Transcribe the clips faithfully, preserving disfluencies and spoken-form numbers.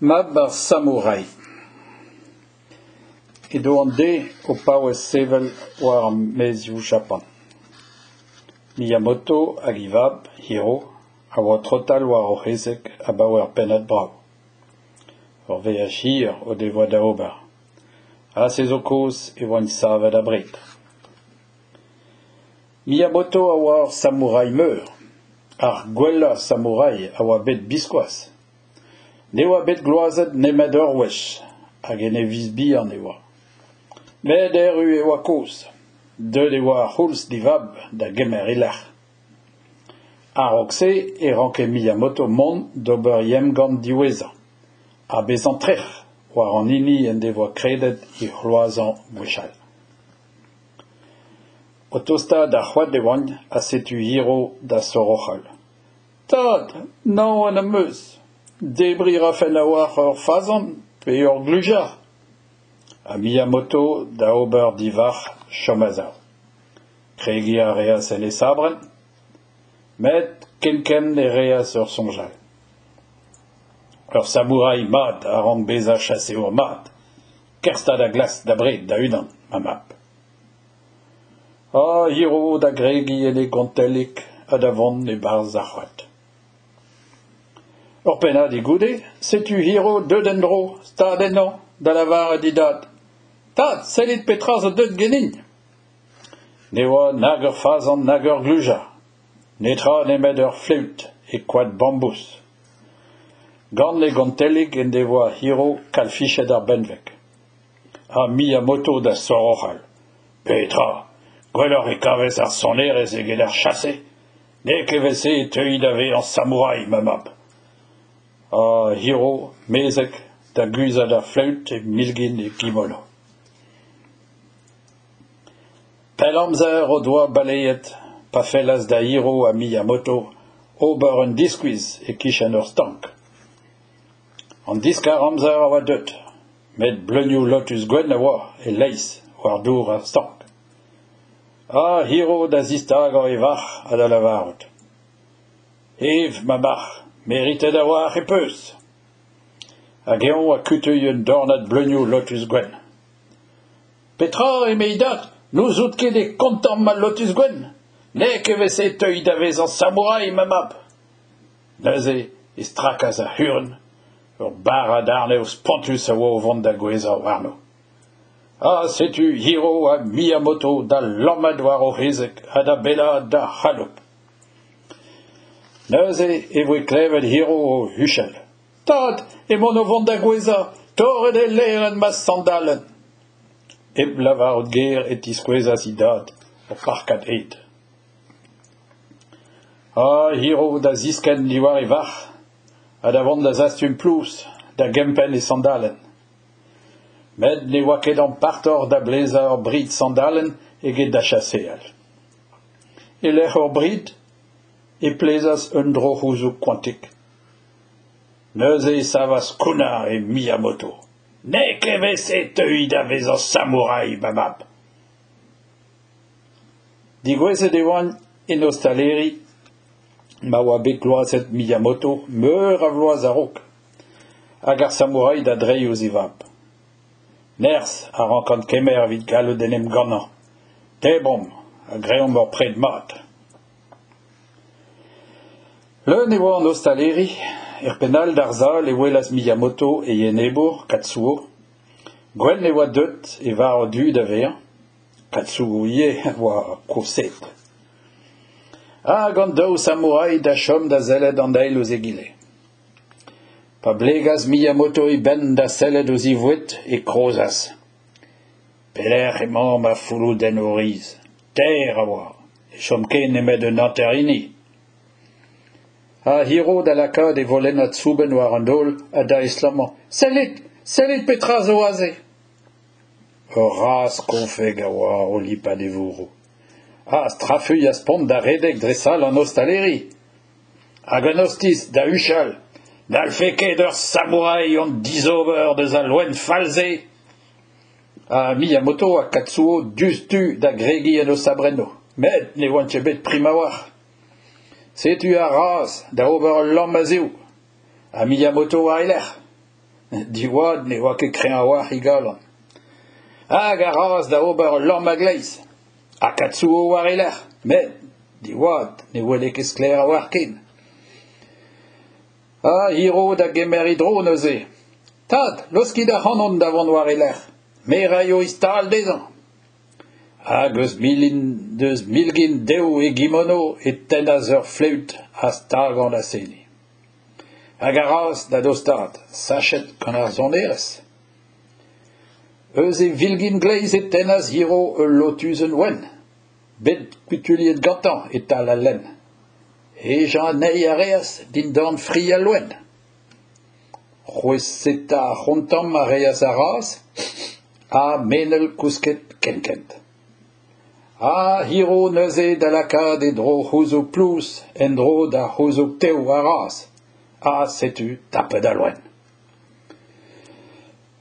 Mab ar samourai. Edo an deiz o paouez sevel war ar maezioù Japan. Miyamoto hag e vab, Hiro, a oa o trotal war o c'hezeg abaoe ur pennad brav. Ur veaj hir o devoa da ober. Ha se zo kaoz e oant savet abred. Miyamoto a oa ur samourai meur, ar gwellañ samourai a oa bet biskoazh. Ne oa bet gloazet nemet ur wech, hag en e viz bihan e oa. Met erru e oa kozh. Deuet e oa ar c'houlz d'e vab da gemer e lec'h. A-raok se e ranke Miyamoto mont d'ober e emgann diwezhañ, ha bezañ trec'h war an hini en devoa kredet e c'hloazañ gwechall. O tostaat d'ar c'hoad e oant ha setu Hiro da soroc'hal. Tad, naon am eus. Debriñ a rafen a-walc'h ur fazan pe ur glujar. Ha Miyamoto da ober d'e varc'h chom a-sav. Kregiñ a reas en e sabrenn, met kenkent e reas ur soñj all. Ur samourai mat a rank bezañ chaseour mat. Kerzh 'ta da glask da bred da-unan, ma mab. Ha Hiro da gregiñ en e gontellig ha da vont e-barzh ar c'hoad. Ur pennadig goude, setu Hiro deuet en-dro, stad ennañ, da lavaret d'e dad. Tad, sellit petra zo deuet ganin. Ne oa nag ur fazan nag ur glujar. Netra nemet ur fleüt e koad bambouz. Gant e gontellig en devoa Hiro kalfichet ar benveg. Ha Miyamoto da soroc'hal. Petra, gwelloc'h e kavez ar sonerezh eget ar chase? N'eo ket evel-se e teui da vezañ samourai, ma mab. Ha Hiro, mezhek, da guzhat ar fleüt e milgin e kimono. Pell amzer o doa baleet pa fellas da Hiro ha Miyamoto ober un diskuizh e-kichen ur stank. An diskar-amzer a oa deuet, met bleunioù lotuz gwenn a oa e-leizh war dour ar stank. Ha Hiro da zistagañ e varc'h ha da lavarout. Ev, ma marc'h, meritet a-walc'h e peus. Hag eñ ha kutuilh un dornad bleunioù lotuz gwenn. Petra, eme e dad, n'ouzout ket e kontamm al lotuz gwenn? N'eo ket evel-se e teui da vezañ samourai, ma mab. Neuze e strakas ar c'hurun, ur barrad arnev spontus a oa o vont da gouezhañ warno. Ha setu Hiro ha Miyamoto da lammat war o c'hezeg ha da bellaat d'ar c'haloup. Neuze e voe klevet Hiro o huchal. Tad, emaon o vont da gouezhañ, torret eo lêrenn ma sandalenn. Hep lavarout ger e tiskouezas e dad ur parkad ed. Ha Hiro da ziskenn diwar e varc'h ha da vont da zastum plouz da gempenn e sandalenn. Met ne oa ket ampartoc'h da blezañ ur brid sandalenn eget da chaseal. E-lec'h ur brid e plezas un dro-c'houzoug koantik. Neuze e savas kounnar e Miyamoto. N'eo ket evel-se e teui da vezañ samourai, ma mab. Degouezhet e oant en ostaleri ma oa bet gloazet Miyamoto meur a vloaz a-raok, hag ar samourai da dreiñ ouzh e vab. Nerzh a rankan kemer evit gallout en em gannañ. Debromp ha greomp ur pred mat. Leun e oa an ostaleri, er penn all d'ar sal e welas Miyamoto e enebour, Katsuo. Gwenn e oa deuet e varv du da vezañ. Katsuo ivez a oa koset. Hag an daou samourai da chom da sellet an eil ouzh egile. Pa blegas Miyamoto e benn da sellet ouzh e voued e krozas. Pelec'h emañ ma fouloudennoù riz? Teir a oa, ne chom ken nemet un hanter hini. Ha Hiro da lakaat e volennad soubenn war an daol ha da estlammañ. Sellit, sellit petra zo aze! Ur razh konfek a oa o lipat e vourroù. Ha strafuilh ha spont da redek dre sal an ostaleri. Hag an ostiz da huchal. N'hallfe ket ur samourai hon dizober deus al loen fall-se. Ha Miyamoto ha Katsuo diouzhtu da gregiñ en o sabrennoù. Met ne oant ket bet prim a-walc'h. Setu ar razh da ober ul lamm a-zehou. Ha Miyamoto war e lerc'h. Diwad ne oa ket kreñv a-walc'h e galon. Hag ar razh da ober ul lamm a-gleiz. Ha Katsuo war e lerc'h, met Diwad ne wele ket sklaer a-walc'h ken. Ha Hiro da gemer e dro neuze. Tad, laoskit ac'hanon da vont war e lerc'h. Me 'raio e stal dezhañ. Hag eus milin deus milgin dev e gimono e tennas ur fleüt ha stagañ da seniñ. Hag ar razh da dostaat, sachet gant ar sonerezh. Eus e vilgin gleiz e tennas Hiro ul lotuzenn wenn, bet kutuilhet gantañ e-tal al lenn. Hejañ anezhi a reas dindan fri al loen. C'hweseta ar c'hontamm a reas ar razh ha menel kousket kenkent. Ha Hiro neuze da lakaat e dro-c'houzoug plouz en-dro da c'houzoug tev ar razh. Ha setu tapet al loen.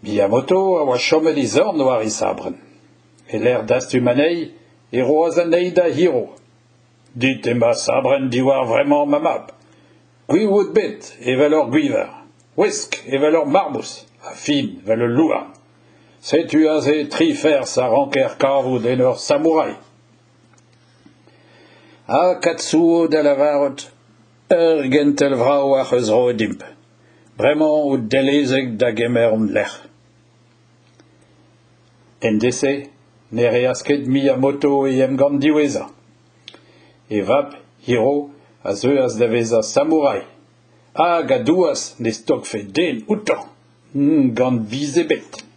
Miyamoto a oa chomet e zorn war e sabrenn. E-lec'h dastum anezhi e roas anezhi da Hiro. Dit emañ sabrenn diwar vremañ ma mab. Gwiv out bet evel ur gwiñver, ouesk evel ur marmouz ha fin evel ul louarn. Setu aze tri ferzh a ranker kavout en ur samourai. Ha Katsuo da lavarout ur gentel vrav ac'h eus roet dimp. Bremañ out dellezek da gemer hon lec'h. En deiz-se ne reas ket Miyamoto e emgann diwezhañ. E vab Hiro a zeuas da vezañ samourai hag a douas ne stokfe den outañ, gant biz ebet.